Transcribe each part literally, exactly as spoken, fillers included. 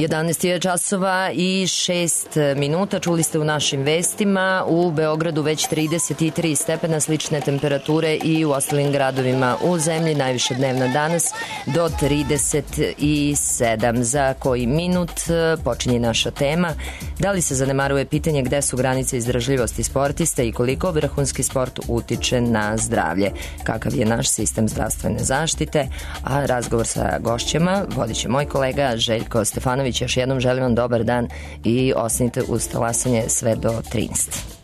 jedanaest je časova i šest minuta. Čuli ste u našim vestima, u Beogradu već trideset tri stepena, slične temperature i u ostalim gradovima u zemlji. Najviša dnevna danas do trideset sedam. Za koji minut počinje naša tema. Da li se zanemaruje pitanje gde su granice izdržljivosti sportista i koliko vrhunski sport utiče na zdravlje? Kakav je naš sistem zdravstvene zaštite? A razgovor sa gošćama vodit će moj kolega Željko Stefanović. Još jednom želim vam dobar dan i ostanite uz talasanje sve do trinaest.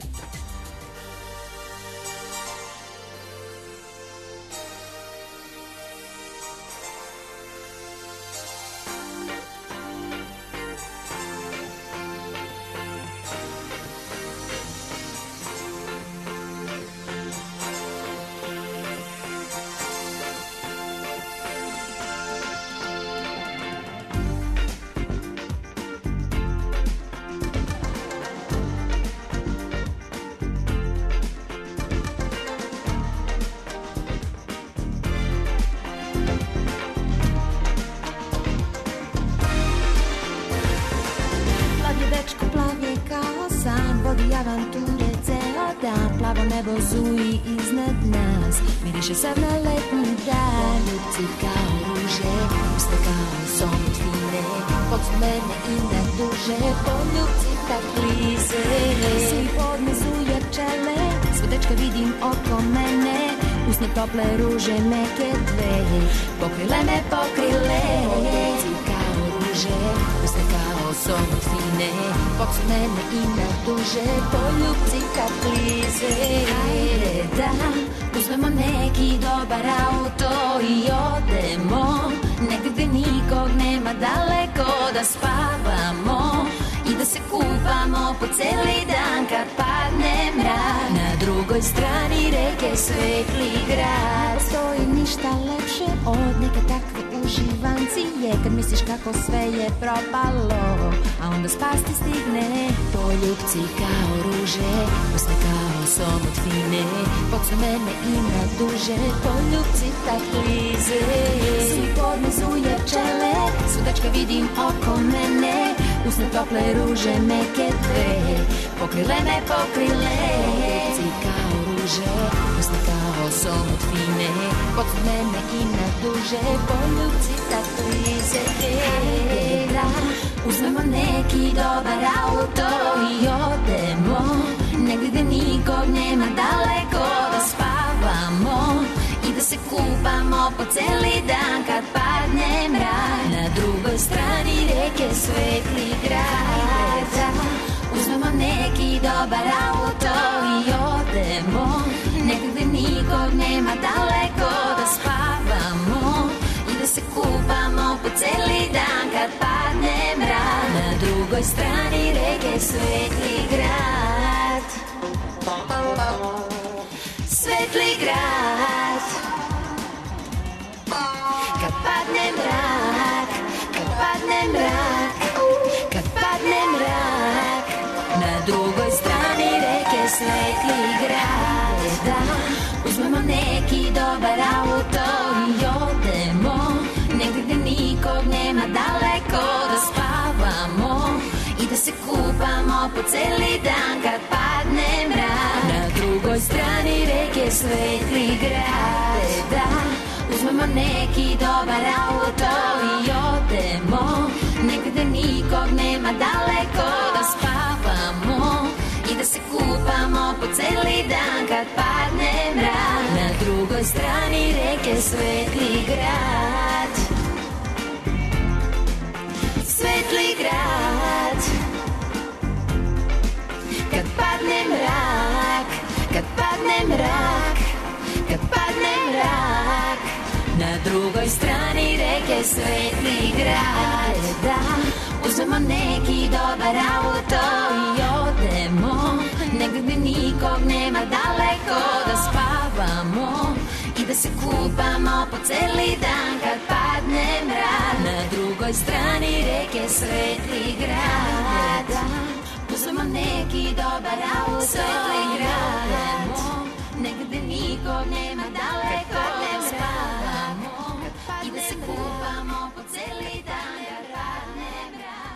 Negde nikog nema daleko da spavamo i da se kupamo po celi dan kad padne mrak.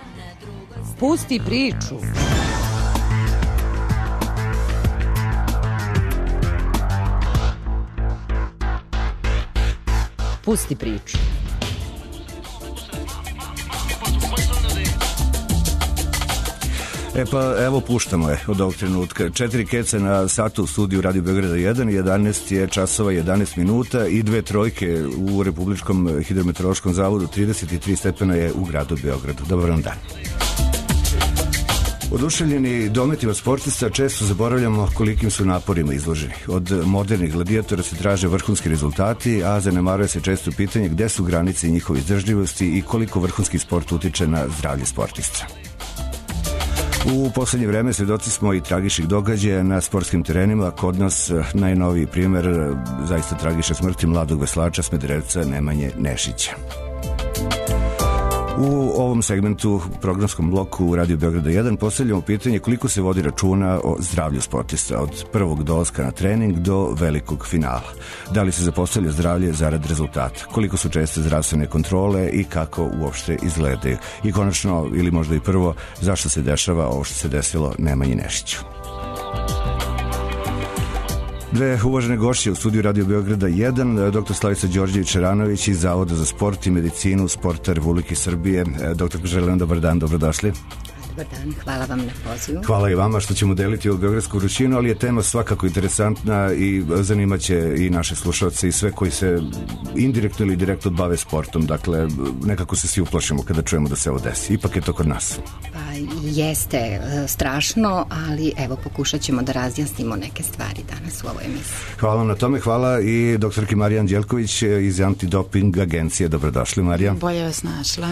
Pusti priču. Pusti priču. E pa evo puštamo je od ovog trenutka. Četiri keca na satu u studiju Radio Beograda jedan, jedanaest je časova jedanaest minuta i dve trojke u Republičkom hidrometeorološkom zavodu, trideset tri stepena je u gradu Beogradu. Dobar vam dan. Oduševljeni dometima sportista često zaboravljamo kolikim su naporima izloženi. Od modernih gladijatora se traže vrhunski rezultati, a zanemaruje se često pitanje gde su granice njihove izdržljivosti i koliko vrhunski sport utiče na zdravlje sportista. U poslednje vreme svedoci smo i tragičnih događaja na sportskim terenima. Kod nas najnoviji primer zaista tragične smrti mladog veslača Smederevca Nemanje Nešića. U ovom segmentu, programskom bloku u Radio Beograda jedan, postavljamo pitanje koliko se vodi računa o zdravlju sportista od prvog dolaska na trening do velikog finala. Da li se zapostavlja zdravlje zarad rezultata? Koliko su česte zdravstvene kontrole i kako uopšte izgledaju? I konačno, ili možda i prvo, zašto se dešava ovo što se desilo Nemanji Nešiću? Dve uvažene gošće u studiju Radio Beograda jedan, doktor Slavica Đorđević-Ranović iz Zavoda za sport i medicinu sporta Republike Srbije. Doktor, želim dobar dan, dobrodošli. Dobar dan, hvala vam na pozivu. Hvala i vama što ćemo deliti ovu beogradsku vrućinu, ali je tema svakako interesantna i zanimaće i naše slušalce i sve koji se indirektno ili direktno bave sportom. Dakle, nekako se svi uplašimo kada čujemo da se ovo desi. Ipak je to kod nas. Pa jeste strašno, ali evo pokušat ćemo da razjasnimo neke stvari danas u ovoj emisiji. Hvala vam na tome, hvala i doktorki Marija Anđelković iz Antidoping agencije. Dobrodošli, Marija. Bolje vas našla.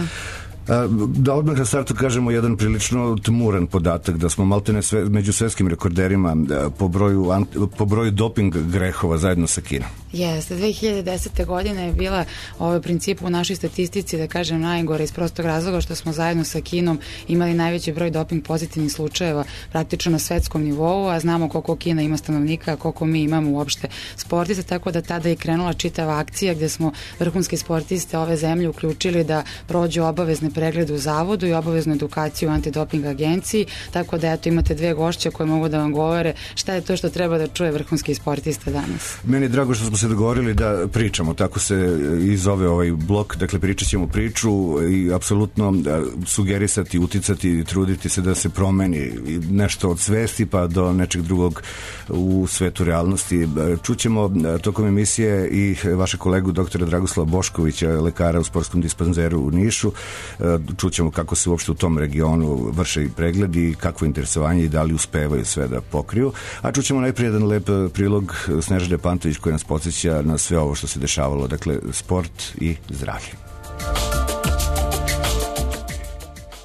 Da odmah na startu kažemo jedan prilično tmuran podatak, da smo maltene sve, među svetskim rekorderima po broju, po broju doping grehova zajedno sa Kinom. Jeste, dve hiljade desete. godine je bila ovaj princip u našoj statistici, da kažem, najgore iz prostog razloga što smo zajedno sa Kinom imali najveći broj doping pozitivnih slučajeva praktično na svetskom nivou, a znamo koliko Kina ima stanovnika, koliko mi imamo uopšte sportista, tako da tada je krenula čitava akcija gde smo vrhunske sportiste ove zemlje uključili da prođu obavezne preglede u zavodu i obaveznu edukaciju u antidoping agenciji, tako da eto imate dve gošće koje mogu da vam govore šta je to što treba da čuje vrhunski sportista danas. Meni je drago što smo se dogovorili da pričamo, tako se i zove ovaj blok, dakle pričat ćemo priču i apsolutno sugerisati, uticati, truditi se da se promeni nešto od svesti pa do nečeg drugog u svetu realnosti. Čućemo tokom emisije i vašeg kolegu doktora Dragoslava Boškovića, lekara u sportskom dispanzeru u Nišu. Čućemo kako se uopšte u tom regionu vrše i pregledi, kakvo interesovanje i da li uspevaju sve da pokriju. A čućemo najprije jedan lep prilog Snežane Pantović koji nas podsjeća na sve ovo što se dešavalo, dakle sport i zdravlje.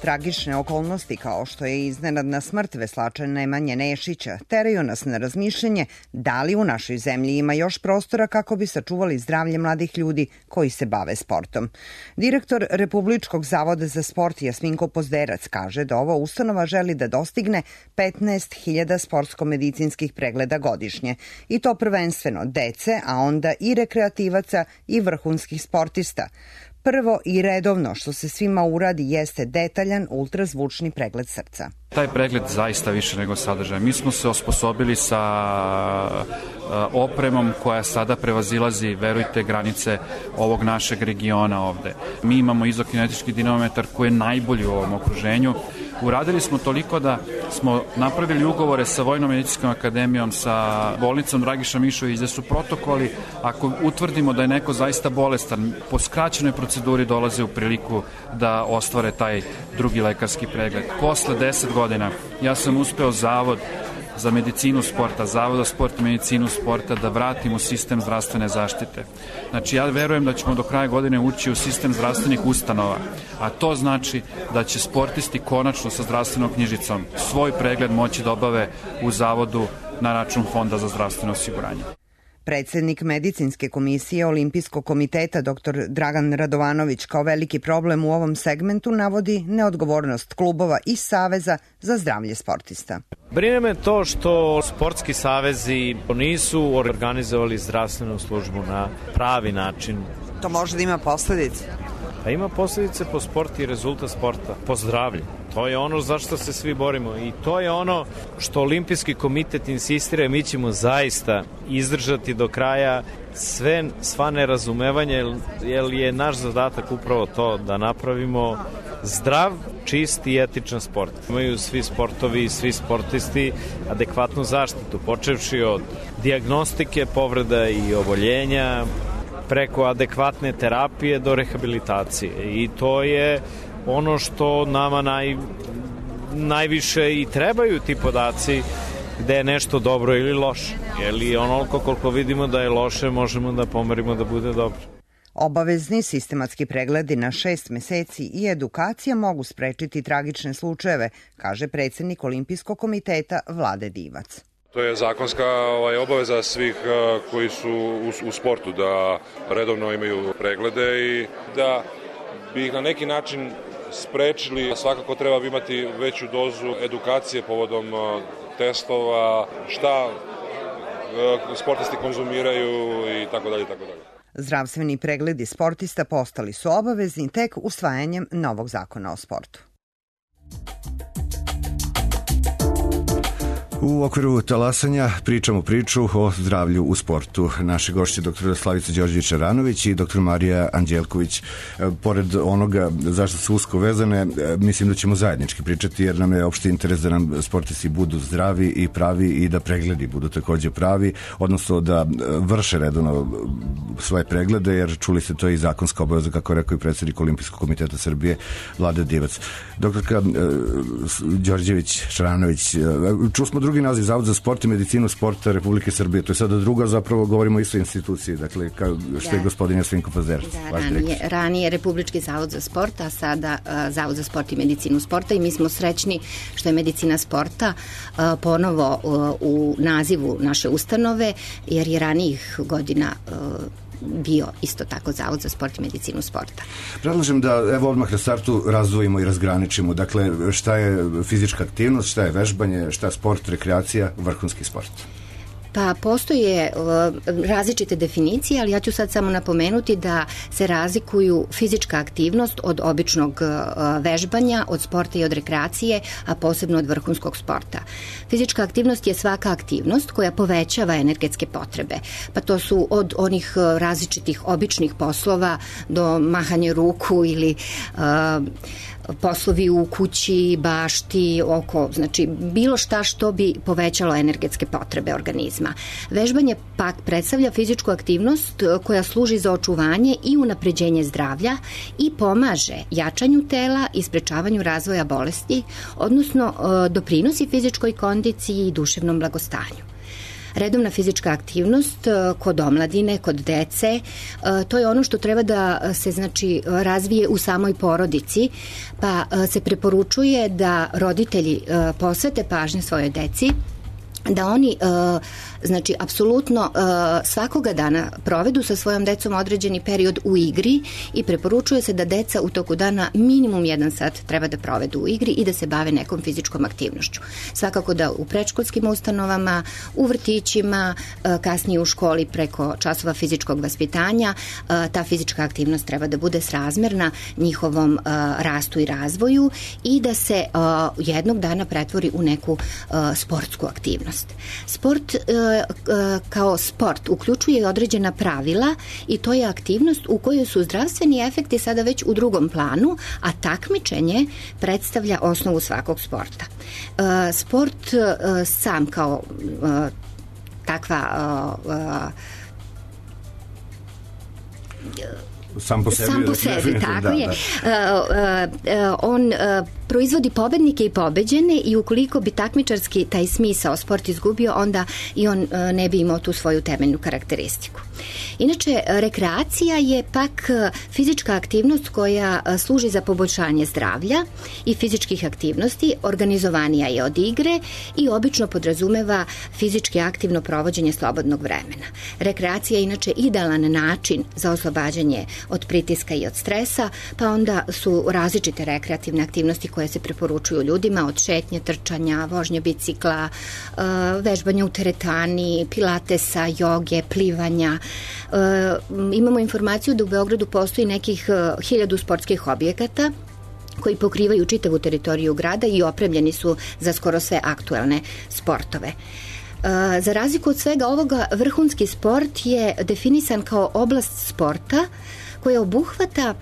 Tragične okolnosti kao što je iznenadna smrt veslača Nemanje Nešića teraju nas na razmišljanje da li u našoj zemlji ima još prostora kako bi sačuvali zdravlje mladih ljudi koji se bave sportom. Direktor Republičkog zavoda za sport Jasminko Pozderac kaže da ova ustanova želi da dostigne petnaest hiljada sportsko-medicinskih pregleda godišnje i to prvenstveno dece, a onda i rekreativaca i vrhunskih sportista. Prvo i redovno što se svima uradi jeste detaljan ultrazvučni pregled srca. Taj pregled zaista više nego sadržaj. Mi smo se osposobili sa opremom koja sada prevazilazi, verujte, granice ovog našeg regiona ovde. Mi imamo izokinetički dinamometar koji je najbolji u ovom okruženju. Uradili smo toliko da smo napravili ugovore sa Vojno-medicinskom akademijom, sa bolnicom Dragiša Mišović, gde su protokoli, ako utvrdimo da je neko zaista bolestan, po skraćenoj proceduri dolaze u priliku da ostvare taj drugi lekarski pregled. Posle deset godina ja sam uspeo Zavod za medicinu sporta, Zavod za sport i medicinu sporta da vratimo sistem zdravstvene zaštite. Znači, ja verujem da ćemo do kraja godine ući u sistem zdravstvenih ustanova, a to znači da će sportisti konačno sa zdravstvenom knjižicom svoj pregled moći da obave u Zavodu na račun Fonda za zdravstveno osiguranje. Predsednik medicinske komisije Olimpijskog komiteta dr Dragan Radovanović kao veliki problem u ovom segmentu navodi neodgovornost klubova i saveza za zdravlje sportista. Brine me to što sportski savezi nisu organizovali zdravstvenu službu na pravi način. To može da ima posledice? Pa ima posljedice po sport i rezultat sporta, po zdravlje. To je ono zašto se svi borimo i to je ono što Olimpijski komitet insistira. Mi ćemo zaista izdržati do kraja sve, sva nerazumevanja, jer je naš zadatak upravo to da napravimo zdrav, čist i etičan sport. Imaju svi sportovi i svi sportisti adekvatnu zaštitu, počevši od dijagnostike, povreda i oboljenja, preko adekvatne terapije do rehabilitacije. I to je ono što nama naj, najviše i trebaju ti podaci gde je nešto dobro ili loše. Jer onoliko koliko vidimo da je loše, možemo da pomerimo da bude dobro. Obavezni sistematski pregledi na šest meseci i edukacija mogu sprečiti tragične slučajeve, kaže predsednik Olimpijskog komiteta Vlade Divac. To je zakonska ovaj, obaveza svih uh, koji su u, u sportu, da redovno imaju preglede i da bi ih na neki način sprečili. Svakako treba imati veću dozu edukacije povodom uh, testova, šta uh, sportisti konzumiraju i tako dalje, tako dalje. Zdravstveni pregledi sportista postali su obavezni tek usvajanjem novog zakona o sportu. U okviru talasanja pričamo priču o zdravlju u sportu. Naše gošće dr. Slavica Đorđević-Aranović i dr. Marija Anđelković. Pored onoga zašto su usko vezane, mislim da ćemo zajednički pričati jer nam je opšti interes da nam sportisti budu zdravi i pravi i da pregledi budu takođe pravi, odnosno da vrše redovno svoje preglede, jer čuli ste to i zakonska obaveza, kako je rekao i predsednik Olimpijskog komiteta Srbije Vlade Divac. Doktorka Đorđević-Aranović, čuli smo drugi naziv, Zavod za sport i medicinu sporta Republike Srbije. To je sada druga, zapravo govorimo o istoj instituciji, dakle, kao što da. je gospodin Jasvinko Fazerac. Da, ranije, ranije Republički zavod za sport, a sada uh, Zavod za sport i medicinu sporta, i mi smo srećni što je medicina sporta uh, ponovo uh, u nazivu naše ustanove, jer je ranijih godina uh, bio isto tako Zavod za sport i medicinu sporta. Predlažem da evo odmah na startu razdvojimo i razgraničimo. Dakle, šta je fizička aktivnost, šta je vežbanje, šta je sport, rekreacija, vrhunski sport? Pa postoje uh, različite definicije, ali ja ću sad samo napomenuti da se razlikuju fizička aktivnost od običnog uh, vežbanja, od sporta i od rekreacije, a posebno od vrhunskog sporta. Fizička aktivnost je svaka aktivnost koja povećava energetske potrebe, pa to su od onih uh, različitih običnih poslova do mahanje ruku ili uh, poslovi u kući, bašti, oko, znači bilo šta što bi povećalo energetske potrebe organizma. Vežbanje pak predstavlja fizičku aktivnost koja služi za očuvanje i unapređenje zdravlja i pomaže jačanju tela i sprečavanju razvoja bolesti, odnosno doprinosi fizičkoj kondiciji i duševnom blagostanju. Redovna fizička aktivnost kod omladine, kod dece, to je ono što treba da se znači razvije u samoj porodici, pa se preporučuje da roditelji posvete pažnje svojoj deci, da oni znači apsolutno svakoga dana provedu sa svojom decom određeni period u igri i preporučuje se da deca u toku dana minimum jedan sat treba da provedu u igri i da se bave nekom fizičkom aktivnošću. Svakako da u predškolskim ustanovama, u vrtićima, kasnije u školi preko časova fizičkog vaspitanja, ta fizička aktivnost treba da bude srazmerna njihovom rastu i razvoju i da se jednog dana pretvori u neku sportsku aktivnost. Sport kao sport uključuje i određena pravila i to je aktivnost u kojoj su zdravstveni efekti sada već u drugom planu, a takmičenje predstavlja osnovu svakog sporta. Sport sam kao takva Sam po sebi, Sam po sebi, tako da, je. Da. Uh, uh, on uh, proizvodi pobednike i pobeđene i ukoliko bi takmičarski taj smisao sport izgubio, onda i on uh, ne bi imao tu svoju temeljnu karakteristiku. Inače, rekreacija je pak fizička aktivnost koja služi za poboljšanje zdravlja i fizičkih aktivnosti, organizovanija je od igre i obično podrazumeva fizički aktivno provođenje slobodnog vremena. Rekreacija je inače idealan način za oslobađanje od pritiska i od stresa, pa onda su različite rekreativne aktivnosti koje se preporučuju ljudima, od šetnje, trčanja, vožnje bicikla, vežbanja u teretani, pilatesa, joge, plivanja. Imamo informaciju da u Beogradu postoji nekih hiljadu sportskih objekata koji pokrivaju čitavu teritoriju grada i opremljeni su za skoro sve aktuelne sportove. Za razliku od svega ovoga, vrhunski sport je definisan kao oblast sporta koja obuhvata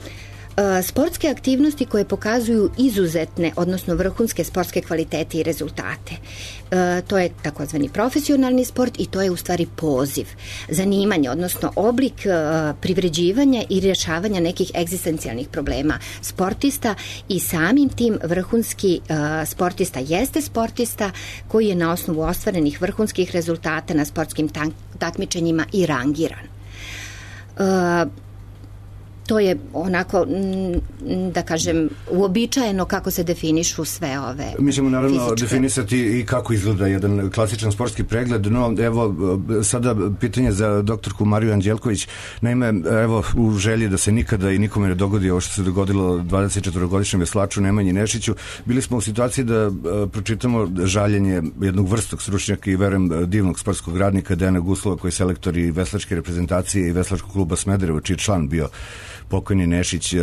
sportske aktivnosti koje pokazuju izuzetne, odnosno vrhunske sportske kvalitete i rezultate. E, to je takozvani profesionalni sport i to je u stvari poziv, zanimanje, odnosno oblik e, privređivanja i rješavanja nekih egzistencijalnih problema sportista i samim tim vrhunski e, sportista jeste sportista koji je na osnovu ostvarenih vrhunskih rezultata na sportskim takmičenjima i rangiran. E, To je onako, da kažem, uobičajeno kako se definišu sve ove Mi ćemo naravno fizičke. Definisati i kako izgleda jedan klasičan sportski pregled, no evo sada pitanje za doktorku Mariju Anđelković. Naime, evo u želji da se nikada i nikome ne dogodi ovo što se dogodilo dvadesetčetvorogodišnjem veslaču Nemanji Nešiću, bili smo u situaciji da pročitamo žaljenje jednog vrstog stručnjaka i verujem divnog sportskog radnika Dejana Guslova, koji je selektor i veslačke reprezentacije i veslačkog kluba Smederevo, čiji član bio pokojni Nešić.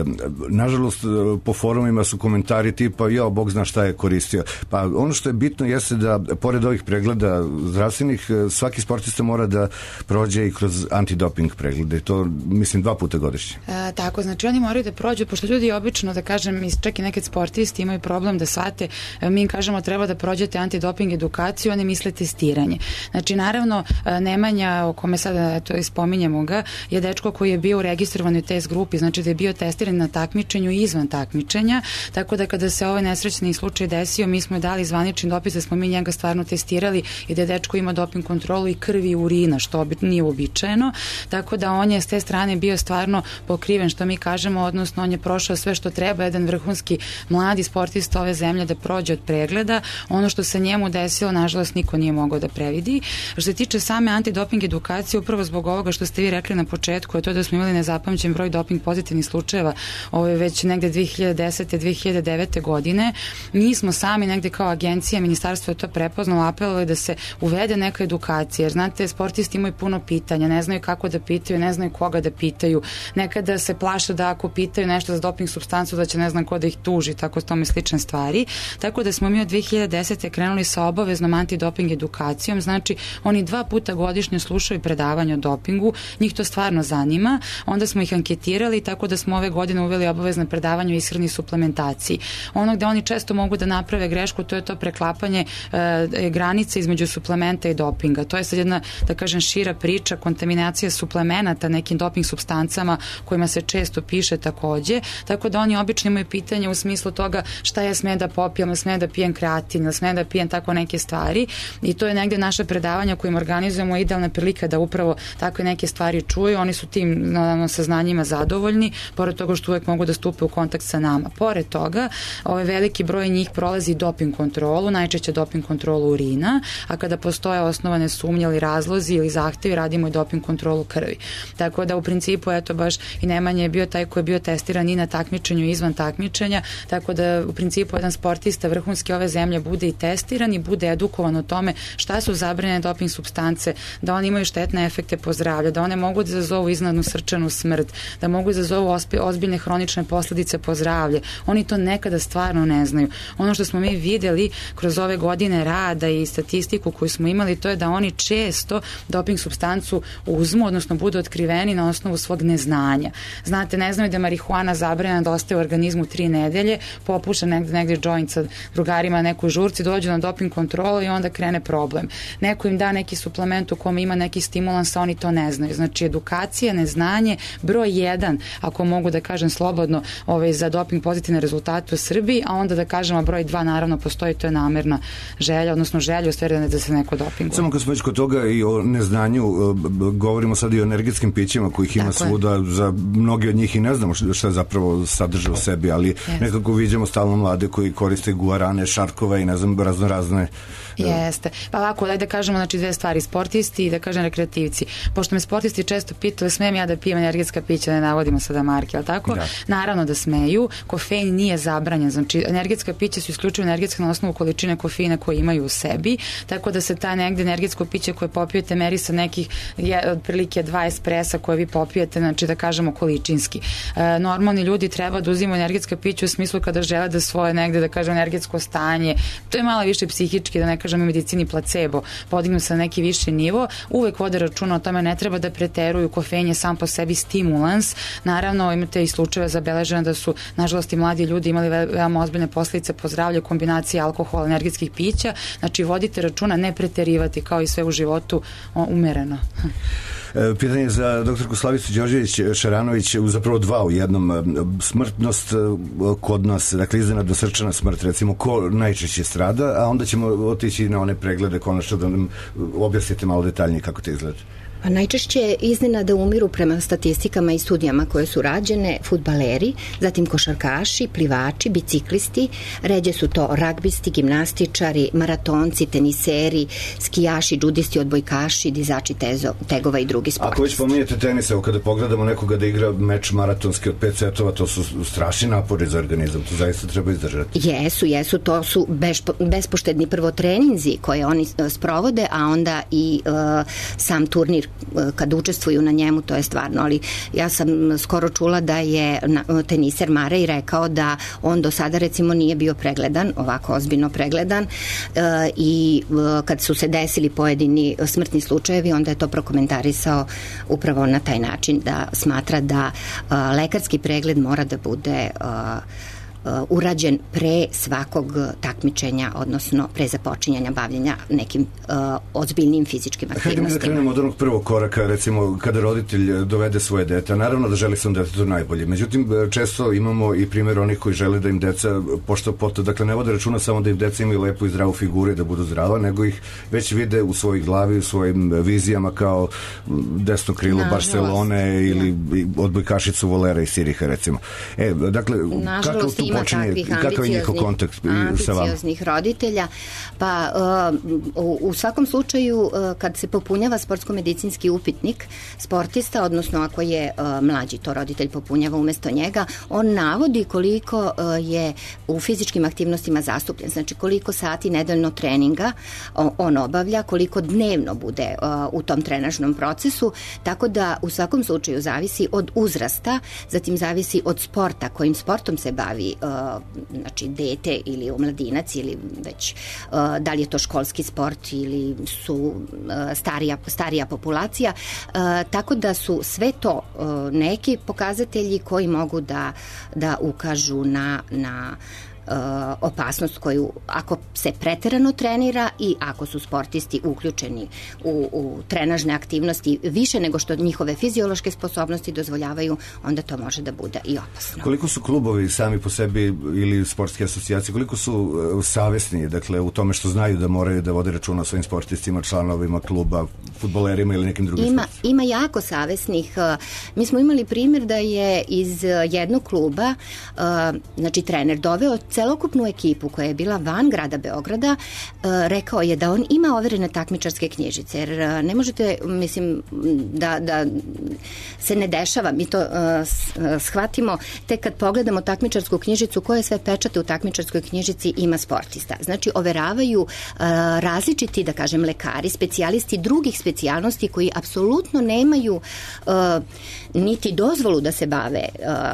Nažalost, po forumima su komentari tipa, jao, Bog zna šta je koristio. Pa ono što je bitno jeste da, pored ovih pregleda zdravstvenih, svaki sportista mora da prođe i kroz antidoping preglede. I to, mislim, dva puta godišnje. E, tako, znači oni moraju da prođu, pošto ljudi obično, da kažem, čak i nekad sportisti imaju problem da shvate, mi im kažemo treba da prođete antidoping edukaciju, oni misle testiranje. Znači, naravno, Nemanja, o kome sada to ispominjemo ga, je dečko koji je bio u registrovanoj test grupi, znači da je bio testiran na takmičenju i izvan takmičenja, tako da kada se ovaj nesrećni slučaj desio, mi smo dali zvanični dopis da smo mi njega stvarno testirali i da je dečko ima doping kontrolu i krvi i urina, što nije uobičajeno, tako da on je s te strane bio stvarno pokriven, što mi kažemo, odnosno on je prošao sve što treba, jedan vrhunski mladi sportista ove zemlje da prođe od pregleda. Ono što se njemu desilo, nažalost, niko nije mogao da previdi. Što se tiče same antidoping edukacije, upravo zbog ovoga što ste vi rekli na početku, je to da smo imali nezapamćen broj doping pozitivnih slučajeva, ovo je već negde dve hiljade desete. dve hiljade devete. godine. Mi smo sami negde kao agencija, ministarstvo je to prepoznalo, apelovali da se uvede neka edukacija, jer znate, sportisti imaju puno pitanja, ne znaju kako da pitaju, ne znaju koga da pitaju, nekada se plaše da ako pitaju nešto za doping supstancu da će ne znam ko da ih tuži, tako tome slične stvari. Tako da smo mi od dve hiljade desete. krenuli sa obaveznom antidoping edukacijom, znači oni dva puta godišnje slušaju predavanje o dopingu, njih to stvarno zanima, onda smo ih anketirali, tako da smo ove godine uveli obavezno predavanje o ishrani i suplementaciji. Ono gde oni često mogu da naprave grešku, to je to preklapanje e, granice između suplementa i dopinga. To je sad jedna, da kažem, šira priča, kontaminacija suplemenata nekim doping supstancama kojima se često piše takođe, tako da oni obično imaju pitanje u smislu toga šta ja sme da popijem, sme da pijem kreatin, sme da pijem tako neke stvari, i to je negde naše predavanja kojim organizujemo idealna prilika da upravo takve neke stvari čuju. Oni su tim naravno saznanjima zadovoljni, pored toga što uvek mogu da stupe u kontakt sa nama. Pored toga, ovaj veliki broj njih prolazi doping kontrolu, najčešće doping kontrolu urina, a kada postoje osnovane sumnje ili razlozi ili zahtevi, radimo i doping kontrolu krvi. Tako da u principu, eto, baš i Nemanja je bio taj koji je bio testiran i na takmičenju i izvan takmičenja, tako da u principu jedan sportista vrhunski ove zemlje bude i testiran i bude edukovan o tome šta su zabranjene doping supstance, da oni imaju štetne efekte po zdravlje, da one mogu da izazovu iznenadnu srčanu smrt, da mogu da izazovu ozbiljne hronične posledice po zdravlje. Oni to nekada stvarno ne znaju. Ono što smo mi videli kroz ove godine rada i statistiku koju smo imali, to je da oni često doping supstancu uzmu, odnosno budu otkriveni na osnovu svog neznanja. Znate, ne znaju da je marihuana zabranjena, da ostaje u organizmu tri nedelje, popuša negde, negde joint sa drugarima na nekoj žurci, dođu na doping kontrolu i onda krene problem. Neko im da neki suplement u kome ima neki stimulans, a oni to ne znaju. Znači, edukacija, neznanje, broj jedan, ako mogu da kažem slobodno, ovaj, za doping pozitivne rezultate u Srbiji, a onda da kažemo broj dva, naravno postoji, to je namerna želja, odnosno želja u stvari da se neko dopinguje. Samo kad smo već kod toga i o neznanju, govorimo sad i o energetskim pićima kojih ima tako svuda, je. Za mnogi od njih i ne znamo šta zapravo sadrže u sebi, ali yes. nekako vidimo stalno mlade koji koriste guarane, šarkove i ne znam, razno razne. Jeste. Pa ovako, daj da kažemo, znači, dve stvari, sportisti i da kažem rekreativci. Pošto me sportisti često pitaju, smijem ja da pijem energetska pića, ne navodim navodimo sada marke, ali tako? Da. Naravno da smeju, kofein nije zabranjen, znači energetska pića su isključivo energetska na osnovu količine kofeina koje imaju u sebi, tako da se ta negde energetsko piće koje popijete meri sa nekih je, otprilike dva espresa koje vi popijete, znači da kažemo količinski. E, normalni ljudi treba da uzimaju energetska pića u smislu kada žele da svoje negde, da kažem, energetsko stanje, to je malo više psihički, da ne kažem u medicini placebo, podignu se na neki viši nivo, uvek vode računa o tome, ne treba da preteruju, kofein je sam po sebi stimulans, naravno imate i slučajeve zabeležene da su nažalost i mladi ljudi imali veoma ozbiljne posledice po zdravlje, kombinacije alkohola, energetskih pića, znači vodite računa, ne preterivati kao i sve u životu, umereno. Pitanje za doktorku Slavicu Đorđević-Šaranović, zapravo dva u jednom. Smrtnost kod nas, dakle iznenadno srčana smrt, recimo, ko najčešće strada, a onda ćemo otići na one preglede, konačno da nam objasnite malo detaljnije kako to izgleda. Pa najčešće iznenada umiru prema statistikama i studijama koje su rađene fudbaleri, zatim košarkaši, plivači, biciklisti, ređe su to ragbisti, gimnastičari, maratonci, teniseri, skijaši, džudisti, odbojkaši, dizači tezo, tegova i drugi sportisti. Ako već pominjete tenis, evo kada pogledamo nekoga da igra meč maratonski od pet setova, to su strašni napori za organizam, to zaista treba izdržati. Jesu, jesu, to su bespo, bespoštedni prvo treninzi koje oni sprovode, a onda i uh, sam turnir kad učestvuju na njemu, to je stvarno, ali ja sam skoro čula da je teniser Marej rekao da on do sada recimo nije bio pregledan, ovako ozbiljno pregledan, i kad su se desili pojedini smrtni slučajevi, onda je to prokomentarisao upravo na taj način, da smatra da lekarski pregled mora da bude urađen pre svakog takmičenja, odnosno pre započinjanja bavljenja nekim uh, ozbiljnim fizičkim aktivnostima. Hajde mi da krenemo od onog prvog koraka, recimo kada roditelj dovede svoje dete, naravno da želi svom detetu najbolje, međutim često imamo i primjer onih koji žele da im deca pošto poto, dakle ne vode računa samo da im deca imaju lepu i zdravu figuru i da budu zdrava, nego ih već vide u svojoj glavi, u svojim vizijama kao desno krilo Nažalost. Barcelone ili odbojkašicu Volera i Siriha, recimo. E, dakle, kako tu ima takvih ambicioznih roditelja, pa uh, u, u svakom slučaju uh, kad se popunjava sportsko-medicinski upitnik sportista, odnosno ako je uh, mlađi to roditelj popunjava umesto njega, on navodi koliko uh, je u fizičkim aktivnostima zastupljen, znači koliko sati nedeljno treninga on, on obavlja, koliko dnevno bude uh, u tom trenažnom procesu, tako da u svakom slučaju zavisi od uzrasta, zatim zavisi od sporta, kojim sportom se bavi znači dete ili omladinac ili već da li je to školski sport ili su starija, starija populacija, tako da su sve to neki pokazatelji koji mogu da, da ukažu na, na opasnost koju ako se preterano trenira i ako su sportisti uključeni u, u trenažne aktivnosti više nego što njihove fiziološke sposobnosti dozvoljavaju, onda to može da bude i opasno. Koliko su klubovi sami po sebi ili sportske asocijacije, koliko su savesni, dakle, u tome što znaju da moraju da vode računa o svojim sportistima, članovima kluba, fudbalerima ili nekim drugim ima, sportistima? Ima jako savesnih. Mi smo imali primjer da je iz jednog kluba, znači trener doveo celokupnu ekipu koja je bila van grada Beograda, rekao je da on ima overene takmičarske knjižice, jer ne možete, mislim, da, da se ne dešava, mi to shvatimo tek kad pogledamo takmičarsku knjižicu, koje sve pečate u takmičarskoj knjižici ima sportista. Znači, overavaju različiti, da kažem, lekari, specijalisti drugih specijalnosti koji apsolutno nemaju niti dozvolu da se bave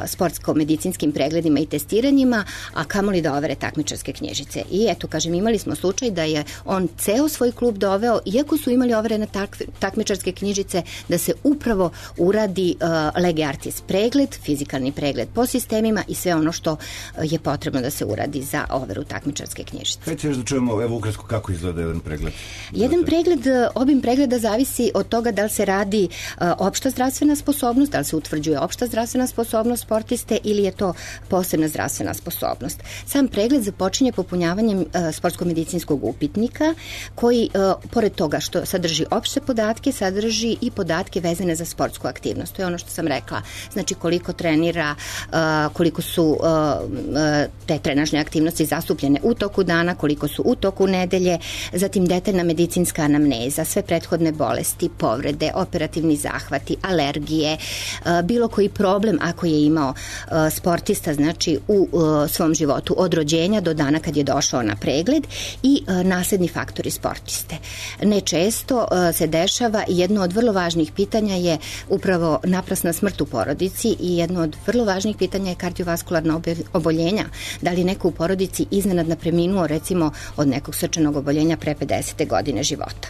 sportsko-medicinskim pregledima i testiranjima, a kamoli da overe takmičarske knjižice. I eto, kažem, imali smo slučaj da je on ceo svoj klub doveo, iako su imali overene tak, takmičarske knjižice, da se upravo uradi uh, lege artis pregled, fizikalni pregled po sistemima i sve ono što je potrebno da se uradi za overu takmičarske knjižice. Hajde još da čujemo, evo ukratko, kako izgleda jedan pregled? Jedan pregled, obim pregleda zavisi od toga da li se radi uh, opšta zdravstvena sposobnost, da li se utvrđuje opšta zdravstvena sposobnost sportiste ili je to posebna zdravstvena sposobnost. Sam pregled započinje popunjavanjem uh, sportsko-medicinskog upitnika koji, uh, pored toga što sadrži opšte podatke, sadrži i podatke vezane za sportsku aktivnost. To je ono što sam rekla. Znači koliko trenira, uh, koliko su uh, te trenažne aktivnosti zastupljene u toku dana, koliko su u toku nedelje, zatim detaljna medicinska anamneza, sve prethodne bolesti, povrede, operativni zahvati, alergije, bilo koji problem ako je imao sportista, znači u svom životu od rođenja do dana kad je došao na pregled i nasledni faktori sportiste. Nečesto se dešava i jedno od vrlo važnih pitanja je upravo naprasna smrt u porodici i jedno od vrlo važnih pitanja je kardiovaskularna oboljenja. Da li neko u porodici iznenadno preminuo recimo od nekog srčanog oboljenja pre pedesete godine života.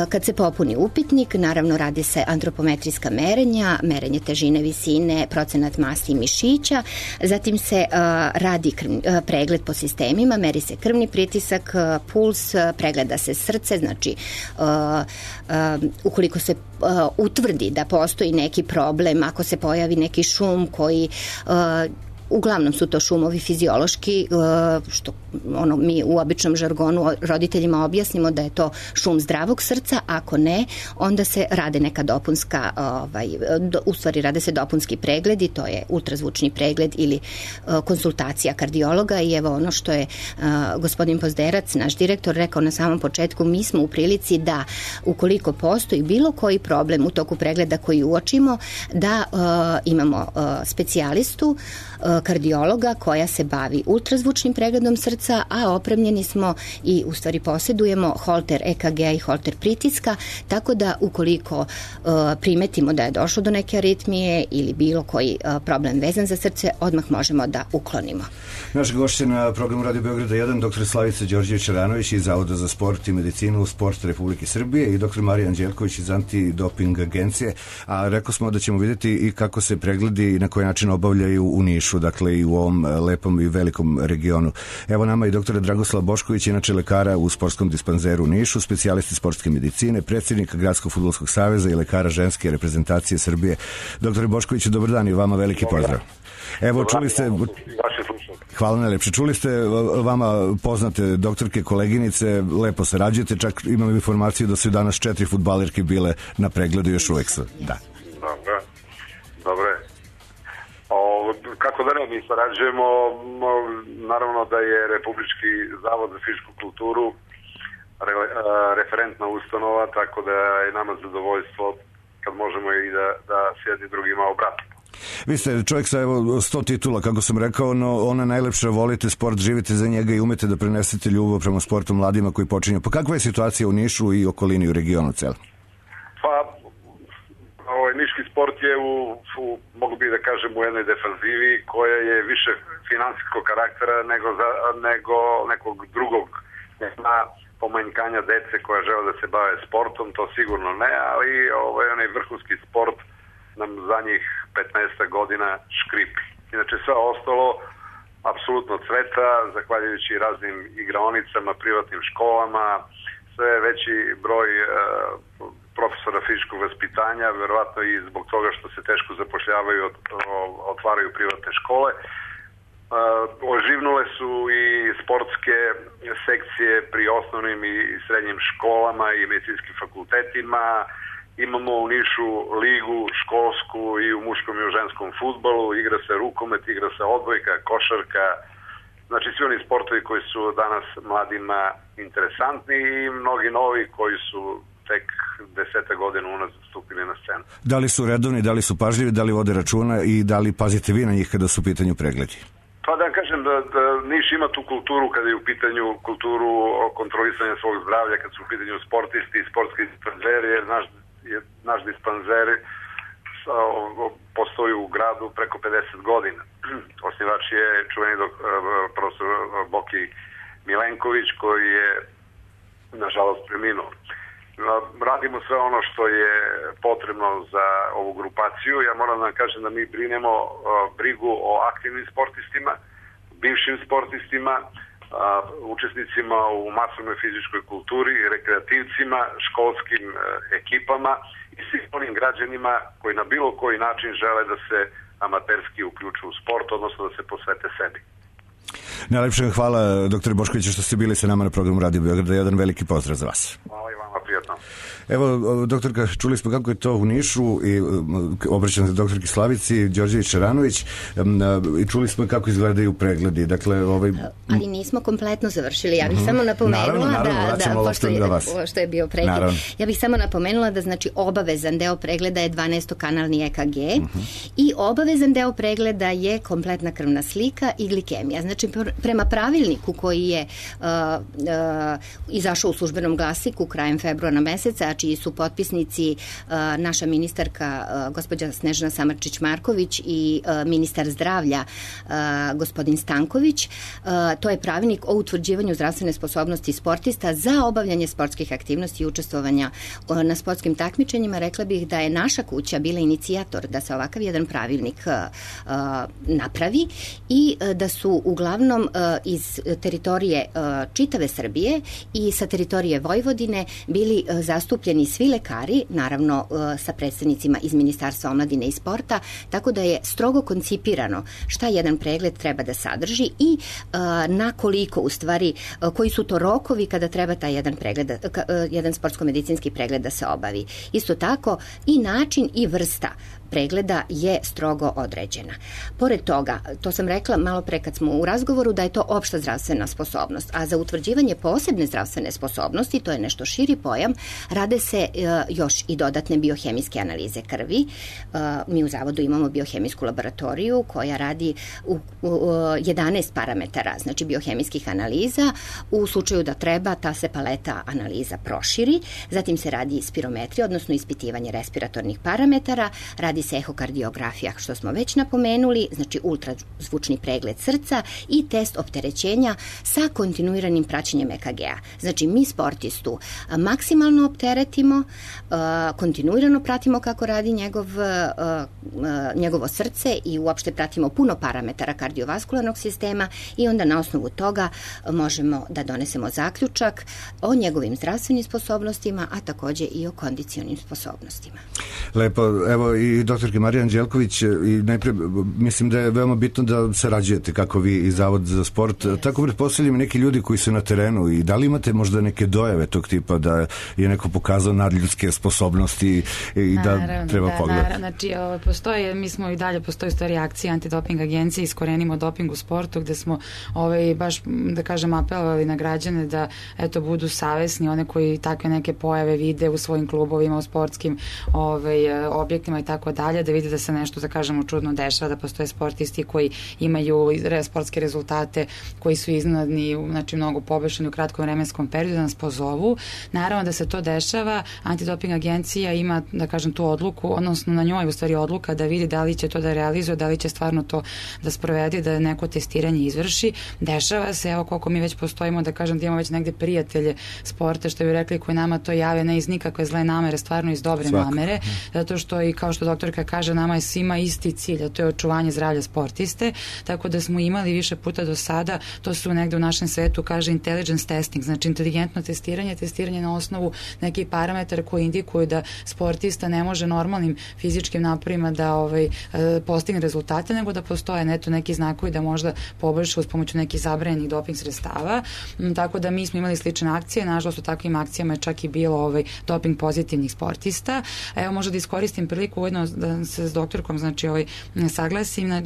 Kad se popuni upitnik, naravno radi se antropometrijska merenja, merenje težine, visine, procenat masti i mišića, zatim se uh, radi krv, uh, pregled po sistemima, meri se krvni pritisak, uh, puls, uh, pregleda se srce, znači uh, uh, ukoliko se uh, utvrdi da postoji neki problem, ako se pojavi neki šum koji uh, uglavnom su to šumovi fiziološki, što ono mi u običnom žargonu roditeljima objasnimo da je to šum zdravog srca, ako ne, onda se rade neka dopunska, ovaj, u stvari rade se dopunski pregledi, to je ultrazvučni pregled ili konsultacija kardiologa i evo ono što je gospodin Pozderac, naš direktor, rekao na samom početku, mi smo u prilici da ukoliko postoji bilo koji problem u toku pregleda koji uočimo, da imamo specijalistu kardiologa koja se bavi ultrazvučnim pregledom srca, a opremljeni smo i u stvari posjedujemo holter E K G i holter pritiska, tako da ukoliko uh, primetimo da je došlo do neke aritmije ili bilo koji uh, problem vezan za srce, odmah možemo da uklonimo. Naš gošć na programu Radio Beograda jedan, doktor Slavica Đorđević-Ranović iz Zavoda za sport i medicinu Sport Republike Srbije i doktor Marija Anđelković iz Antidoping agencije, a rekao smo da ćemo vidjeti i kako se pregledi i na koji način obavljaju u Nišu, dakle i u ovom lepom i velikom regionu. Evo nama i doktora Dragoslav Bošković, inače lekara u sportskom dispanzeru u Nišu, specijalisti sportske medicine, predsjednika Gradskog fudbalskog saveza i lekara ženske reprezentacije Srbije. Doktore Boškoviću, dobar dan i vama veliki pozdrav. Evo, čuli ste... Hvala najlepše. Čuli ste vama poznate doktorke, koleginice, lepo sarađujete, čak imam informaciju da su danas četiri fudbalerke bile na pregledu, još uvek su. Da. Dobro. Dobro. O, kako da ne, mi sarađujemo, naravno da je Republički zavod za fizičku kulturu re, referentna ustanova, tako da je nama zadovoljstvo kad možemo i da, da se jedni drugima obratimo. Vi ste čovjek sa evo sto titula, kako sam rekao, no ona najlepša, volite sport, živite za njega i umete da prenesete ljubav prema sportu mladima koji počinju. Pa kakva je situacija u Nišu i okolini, u regionu celom? Pa, ovaj, niški sport je u, u, mogu bi da kažem, u jednoj defanzivi koja je više finansijskog karaktera nego, za, nego nekog drugog. Nema pomanjkanja dece koja žele da se bave sportom, to sigurno ne, ali ovaj, onaj vrhunski sport nam za njih petnaest godina škripi. Inače sve ostalo apsolutno cveta, zahvaljujući raznim igraonicama, privatnim školama, sve veći broj e, profesora fizičkog vaspitanja, verovatno i zbog toga što se teško zapošljavaju, otvaraju privatne škole. E, oživnule su i sportske sekcije pri osnovnim i srednjim školama i medicinskim fakultetima. Imamo u Nišu ligu školsku i u muškom i u ženskom fudbalu, igra se rukomet, igra se odbojka, košarka, znači svi oni sportovi koji su danas mladima interesantni i mnogi novi koji su tek deseta godina unazad stupili na scenu. Da li su redovni, da li su pažljivi, da li vode računa i da li pazite vi na njih kada su u pitanju pregledi? Pa da kažem da, da Niš ima tu kulturu kada je u pitanju kulturu kontrolisanja svog zdravlja, kad su u pitanju sportisti i sportski dispanzeri, jer naš je naš dispanzer postoji u gradu preko pedeset godina. Osnivač je čuveni dok, profesor Boki Milenković, koji je nažalost preminuo. Radimo sve ono što je potrebno za ovu grupaciju. Ja moram da vam kažem da mi brinemo brigu o aktivnim sportistima, bivšim sportistima, učesnicima u masovnoj fizičkoj kulturi, rekreativcima, školskim ekipama i svim onim građanima koji na bilo koji način žele da se amaterski uključu u sport, odnosno da se posvete sebi. Najlepše hvala, doktore Boškoviću, što ste bili sa nama na programu Radio Beograda. Jedan veliki pozdrav za vas. Hvala i vama, prijatno. Evo, doktorka, čuli smo kako je to u Nišu i obraćam se doktorki Slavici Đorđević-Šaranović i čuli smo kako izgledaju pregledi. Dakle, ovaj... Ali nismo kompletno završili. Ja bih mm-hmm. samo napomenula naravno, naravno, da, da pošto, je, što je bio pregled, naravno. Ja bih samo napomenula da znači obavezan deo pregleda je dvanaestokanalni E K G mm-hmm. i obavezan deo pregleda je kompletna krvna slika i glikemija. Znači, prema pravilniku koji je uh, uh, izašao u službenom glasiku krajem februara meseca, čiji su potpisnici uh, naša ministarka uh, gospođa Snežana Samarčić-Marković i uh, ministar zdravlja uh, gospodin Stanković. Uh, to je pravilnik o utvrđivanju zdravstvene sposobnosti sportista za obavljanje sportskih aktivnosti i učestvovanja uh, na sportskim takmičenjima. Rekla bih da je naša kuća bila inicijator da se ovakav jedan pravilnik uh, uh, napravi i uh, da su uglavnom uh, iz teritorije uh, čitave Srbije i sa teritorije Vojvodine bili uh, zastupljeni svi lekari, naravno sa predstavnicima iz Ministarstva omladine i sporta, tako da je strogo koncipirano šta jedan pregled treba da sadrži i na koliko u stvari, koji su to rokovi kada treba taj jedan pregled, jedan sportsko-medicinski pregled da se obavi. Isto tako i način i vrsta pregleda je strogo određena. Pored toga, to sam rekla malo pre kad smo u razgovoru, da je to opšta zdravstvena sposobnost, a za utvrđivanje posebne zdravstvene sposobnosti, to je nešto širi pojam, rade se uh, još i dodatne biohemijske analize krvi. Uh, mi u Zavodu imamo biohemijsku laboratoriju koja radi u, u, u jedanaest parametara, znači biohemijskih analiza. U slučaju da treba, ta se paleta analiza proširi. Zatim se radi spirometrija, odnosno ispitivanje respiratornih parametara, radi se ehokardiografija, što smo već napomenuli, znači ultrazvučni pregled srca i test opterećenja sa kontinuiranim praćenjem E K G-a. Znači, mi sportistu maksimalno opteretimo, kontinuirano pratimo kako radi njegov, njegovo srce i uopšte pratimo puno parametara kardiovaskularnog sistema i onda na osnovu toga možemo da donesemo zaključak o njegovim zdravstvenim sposobnostima, a takođe i o kondicionim sposobnostima. Lepo, evo i doktorke Marija Anđelković, i najpre mislim da je veoma bitno da sarađujete kako vi i Zavod za sport. Yes. Tako pretpostavljam neki ljudi koji su na terenu i da li imate možda neke dojave tog tipa da je neko pokazao nadljudske sposobnosti i da naravno, treba da, pogledati? Naravno, znači ovo, postoje, mi smo i dalje, postoji stvari akcije antidoping agencije, iskorenimo doping u sportu, gde smo ovaj, baš, da kažem, apelovali na građane da eto, budu savesni, one koji takve neke pojave vide u svojim klubovima, u sportskim ovaj, objektima i tako dalje, da vidi da se nešto, da kažemo, čudno dešava, da postoje sportisti koji imaju sportske rezultate koji su iznenadni, znači mnogo pobešeni u kratkom vremenskom periodu, da nas pozovu. Naravno da se to dešava, antidoping agencija ima, da kažem, tu odluku, odnosno na njoj u stvari odluka da vidi da li će to da realizuje, da li će stvarno to da sprovede, da neko testiranje izvrši. Dešava se, evo koliko mi već postojimo, da kažem da imamo već negde prijatelje sporta, što bi rekli, koji nama to jave, ne iz nikakve zle namere, stvarno iz dobre Svaka. namere, zato što i kao što doktorka kaže, nama je svima isti cilj, a to je očuvanje zdravlja sportiste, tako da smo imali više puta do sada, to su negde u našem svetu kaže intelligence testing, znači inteligentno testiranje, testiranje na osnovu nekih parametara koji indikuju da sportista ne može normalnim fizičkim naporima da ovaj, postigne rezultate, nego da postoje neto neki znakovi da možda poboljša uz pomoću nekih zabranjenih doping sredstava, tako da mi smo imali slične akcije, nažalost u takvim akcijama je čak i bilo ovaj, doping pozitivnih sportista. Evo možda da iskoristim priliku ujedno da se s doktorkom znači ovaj saglasim na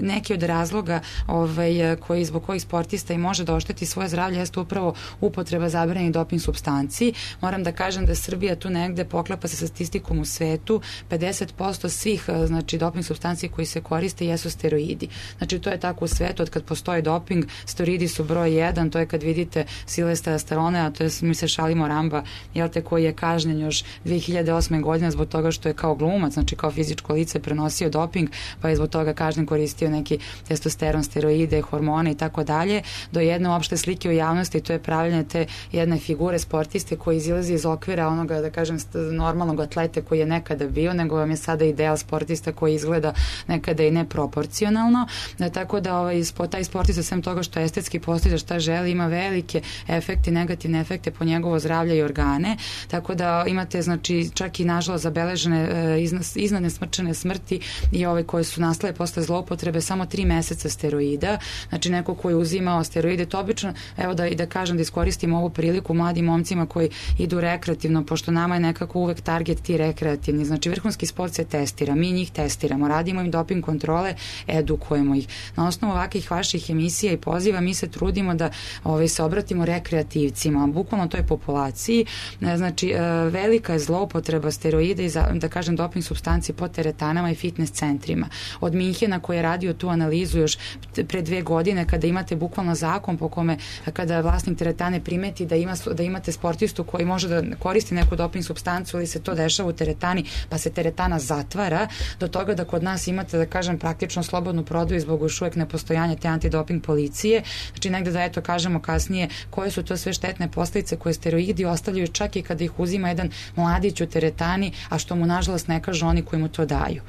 neki od razloga ovaj koji zbog kojih sportista i može da ošteti svoje zdravlje jeste upravo upotreba zabranjenih doping supstanci. Moram da kažem da Srbija tu negde poklapa se sa statistikom u svetu, pedeset posto svih znači doping supstanci koji se koriste jesu steroidi. Znači to je tako u svetu, od kad postoji doping, steroidi su broj jedan, to je kad vidite Silvestra Stallone, a to je, mi se šalimo, Ramba, jel te, koji je kažnjen još dve hiljade osme godine zbog toga što je kao glumac, znači kao fizičko lice prenosio doping, pa je zbog toga kažnjen, koristio neki testosteron, steroide, hormone i tako dalje, do jedne opšte slike u javnosti, to je pravljanje te jedne figure sportiste koji izilazi iz okvira onoga, da kažem, normalnog atlete koji je nekada bio, nego vam je sada ideal sportista koji izgleda nekada i neproporcionalno, da, tako da ovaj, taj sportista, sem toga što estetski postiže šta želi, ima velike efekte, negativne efekte po njegovo zdravlje i organe, tako da imate, znači, čak i nažalost zabeležene e, iznadne smrčane smrti i ove koje su nastale posle zloupotrebe samo tri meseca steroida. Znači neko koji je uzimao steroide, to obično, evo da, i da kažem da iskoristim ovu priliku mladim momcima koji idu rekreativno, pošto nama je nekako uvek target ti rekreativni. Znači vrhunski sport se testira, mi njih testiramo, radimo im doping kontrole, edukujemo ih. Na osnovu ovakvih vaših emisija i poziva mi se trudimo da ovaj, se obratimo rekreativcima, bukvalno toj populaciji. Znači velika je zloupotreba steroida i za, da kažem doping supstanci po teretanama i fitness centrima. Od Minhena koji je radio tu analizu još pre dve godine kada imate bukvalno zakon po kome kada vlasnik teretane primeti da, ima, da imate sportistu koji može da koristi neku doping supstancu ili se to dešava u teretani pa se teretana zatvara, do toga da kod nas imate da kažem praktično slobodnu prodaju zbog još uvek nepostojanja te antidoping policije. Znači negde da eto kažemo kasnije koje su to sve štetne posledice koje steroidi ostavljaju čak i kada ih uzima jedan mladić u teretani, a što mu nažalost ne kažu oni koji mu to daju.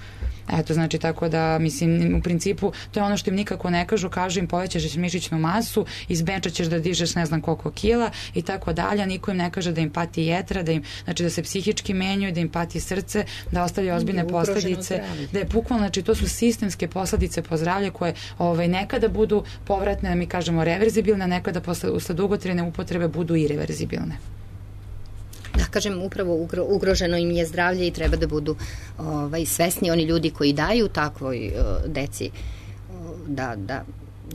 Eto, znači, tako da, mislim, u principu, to je ono što im nikako ne kažu, kažu im povećaš mišićnu masu, iz benča ćeš da dižeš ne znam koliko kila i tako dalje, niko im ne kaže da im pati jetra, da im, znači, da se psihički menjuju, da im pati srce, da ostavljaju ozbiljne posledice, da je bukvalno, znači, to su sistemske posledice po zdravlje koje ovaj, nekada budu povratne, mi kažemo reverzibilne, nekada posle, usled dugotrajne upotrebe budu irreverzibilne. Da, kažem, upravo ugroženo im je zdravlje i treba da budu ovaj, svesni oni ljudi koji daju takvoj uh, deci uh, da, da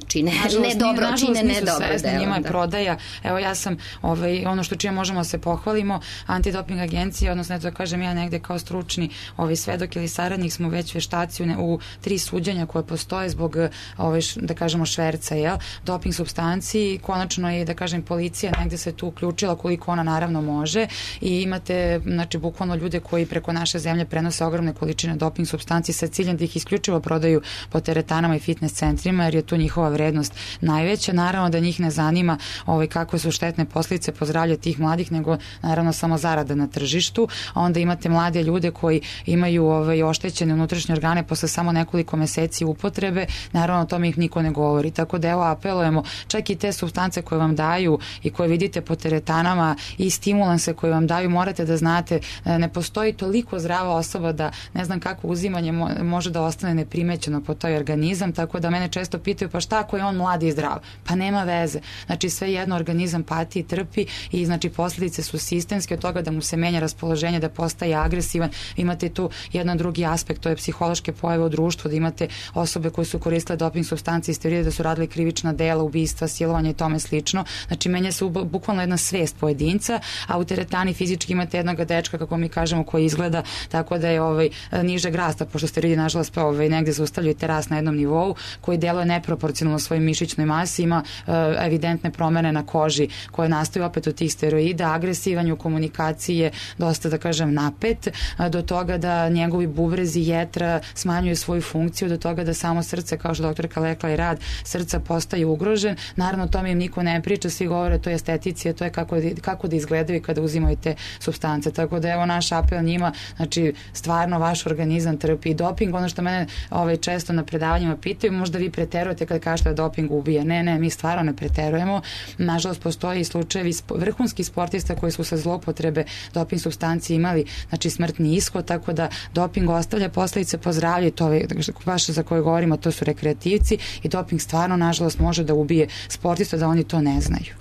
čine ne dobro, čine ne dobro delo. Njima je prodaja. Evo ja sam, ovaj, ono što čime možemo se pohvalimo, antidoping agencija, odnosno da kažem ja negde kao stručni ovaj, svedok ili saradnik smo već veštaci u, ne, u tri suđenja koje postoje zbog ovaj, da kažemo šverca, jel, doping supstanciji. Konačno je da kažem policija negde se tu uključila koliko ona naravno može i imate znači bukvalno ljude koji preko naše zemlje prenose ogromne količine doping supstanci sa ciljem da ih isključivo prodaju po teretanama i fitness centrima jer je tu njihova vrednost najveća. Naravno da njih ne zanima ovaj, kakve su štetne posljedice po zdravlje tih mladih, nego naravno samo zarada na tržištu. A onda imate mlade ljude koji imaju ovaj, oštećene unutrašnje organe posle samo nekoliko meseci upotrebe. Naravno o tome ih niko ne govori. Tako da evo apelujemo, čak i te supstance koje vam daju i koje vidite po teretanama i stimulanse koje vam daju, morate da znate, ne postoji toliko zdrava osoba da ne znam kako uzimanje može da ostane neprimećeno po toj organizam, tako da mene često pitaju pa šta ako je on mlad i zdrav? Pa nema veze. Znači sve jedno organizam pati i trpi i znači posljedice su sistemske od toga da mu se menja raspoloženje, da postaje agresivan. Imate tu jedan drugi aspekt, to je psihološke pojave u društvu, da imate osobe koje su koristile doping supstancije i steroide, da su radili krivična dela, ubistva, silovanje i tome slično. Znači menja se bukvalno jedna svest pojedinca, a u teretani fizički imate jednog dečka, kako mi kažemo, koji izgleda tako da je ovaj, nižeg rasta, pošto steroidi nažalost ovaj, negde zaustavljaju te rast na jednom nivou, koji deluje neproporcionalno svojoj mišićnoj masi, ima uh, evidentne promene na koži koje nastaju opet od tih steroida, agresivan u komunikaciji je dosta, da kažem, napet, uh, do toga da njegovi bubrezi, jetra smanjuju svoju funkciju, do toga da samo srce, kao što doktorka rekla i rad srca postaje ugrožen. Naravno, o tome im niko ne priča, svi govore to je esteticija, to je kako, kako da izgledaju kada uzimaju te supstance. Tako da evo naš apel njima, znači stvarno vaš organizam trpi doping. Ono što mene ovaj, često na predavanjima pitaju, možda vi preterujete kad kažete da doping ubije. Ne, ne, mi stvarno ne preterujemo. Nažalost, postoji i slučajevi vrhunskih sportista koji su sa zloupotrebe doping supstancije imali, znači smrtni ishod, tako da doping ostavlja posledice po zdravlje, to je baš za koje govorimo, to su rekreativci i doping stvarno, nažalost, može da ubije sportista, da oni to ne znaju.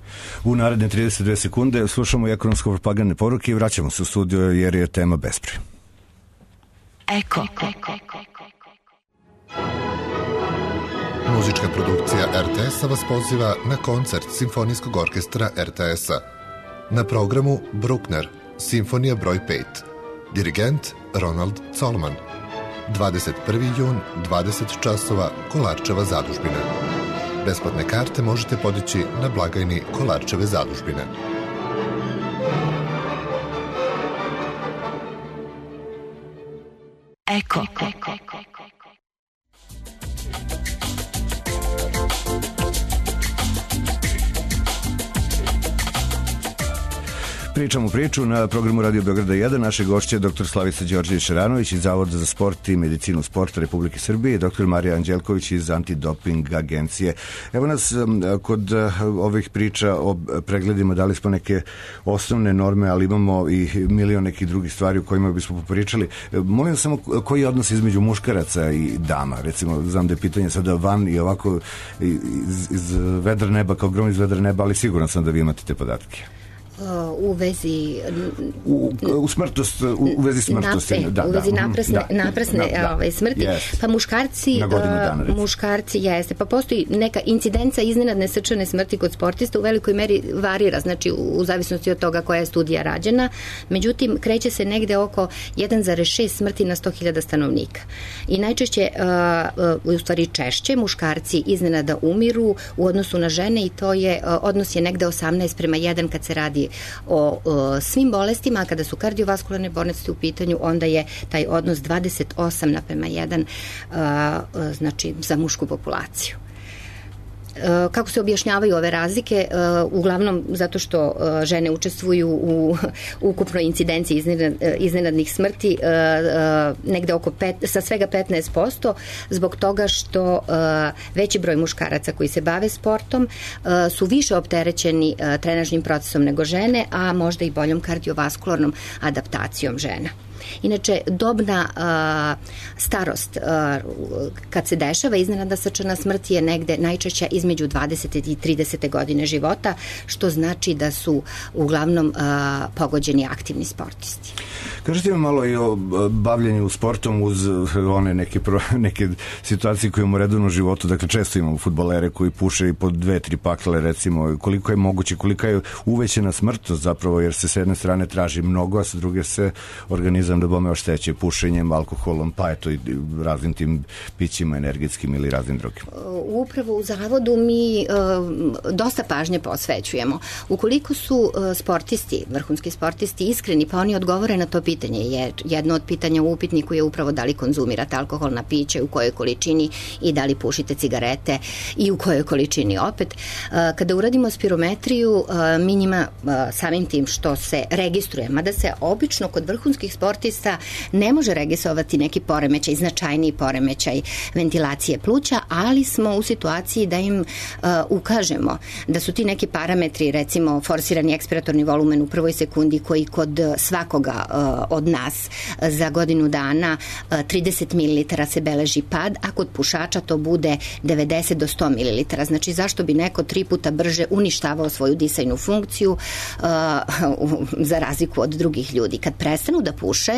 U naredne trideset dve sekunde slušamo ekonomsko-propagandne poruke i vraćamo se u studio jer je tema besprije. Eko. Eko. Muzička produkcija er te es-a vas poziva na koncert Simfonijskog orkestra er te es-a. Na programu Bruckner, Simfonija broj pet. Dirigent Ronald Colman. dvadeset prvi jun, dvadeset časova, Kolarčeva zadužbina. Besplatne karte možete podići na blagajni Kolarčeve zadužbine. Eko. Pričamo priču na programu Radio Beograda jedan. Naše gošće je doktor Slavica Đorđević-Šaranović iz Zavoda za sport i medicinu sporta Republike Srbije i doktor Marija Anđelković iz Antidoping agencije. Evo nas kod ovih priča o pregledima, dali smo neke osnovne norme, ali imamo i milion nekih drugih stvari o kojima bismo popričali. Molim samo koji je odnos između muškaraca i dama? Recimo, znam da je pitanje sada van i ovako iz, iz vedra neba, kao grom iz vedra neba, ali siguran sam da vi imate te podatke. U vezi u, u smrtost u vezi smrtosti napre, da, u vezi da, naprasne, da, naprasne da, da, ovaj, smrti yes. Pa muškarci dana, muškarci jeste, pa postoji neka incidenca iznenadne srčane smrti kod sportista, u velikoj meri varira, znači u, u zavisnosti od toga koja je studija rađena, međutim kreće se negde oko jedan zarez šest smrti na sto hiljada stanovnika i najčešće uh, u stvari češće muškarci iznenada umiru u odnosu na žene i to je uh, odnos je negde osamnaest prema jedan kad se radi o uh, svim bolestima, a kada su kardiovaskularne bolesti u pitanju, onda je taj odnos dvadeset osam naprema jedan uh, uh, znači za mušku populaciju. Kako se objašnjavaju ove razlike? Uglavnom zato što žene učestvuju u ukupnoj incidenciji iznenadnih smrti negde oko pet, sa svega petnaest posto, zbog toga što veći broj muškaraca koji se bave sportom su više opterećeni trenažnim procesom nego žene, a možda i boljom kardiovaskularnom adaptacijom žena. Inače, dobna uh, starost uh, kad se dešava iznenadna srčana smrt je negde najčešća između dvadesete i tridesete godine života, što znači da su uglavnom uh, pogođeni aktivni sportisti. Kažete mi malo i o bavljenju sportom uz one neke, pro, neke situacije koje imamo u redovnom životu, dakle često imamo fudbalere koji puše i po dve, tri pakle recimo, koliko je moguće, kolika je uvećena smrtnost zapravo, jer se s jedne strane traži mnogo, a sa druge se organizam da bome ošteće pušenjem, alkoholom, pa eto i raznim tim pićima energetskim ili raznim drugim. Upravo u zavodu mi uh, dosta pažnje posvećujemo. Ukoliko su uh, sportisti, vrhunski sportisti iskreni, pa oni odgovore na to pitanje, jer jedno od pitanja u upitniku je upravo da li konzumirate alkoholna piće, u kojoj količini i da li pušite cigarete i u kojoj količini opet. Uh, kada uradimo spirometriju, uh, mi njima uh, samim tim što se registruje, mada se obično kod vrhunskih sportista ne može registrovati neki poremećaj, značajniji poremećaj ventilacije pluća, ali smo u situaciji da im uh, ukažemo da su ti neki parametri, recimo forsirani ekspiratorni volumen u prvoj sekundi koji kod svakoga uh, od nas uh, za godinu dana uh, trideset mililitara se beleži pad, a kod pušača to bude devedeset do sto mililitara. Znači zašto bi neko tri puta brže uništavao svoju disajnu funkciju uh, za razliku od drugih ljudi. Kad prestanu da puše,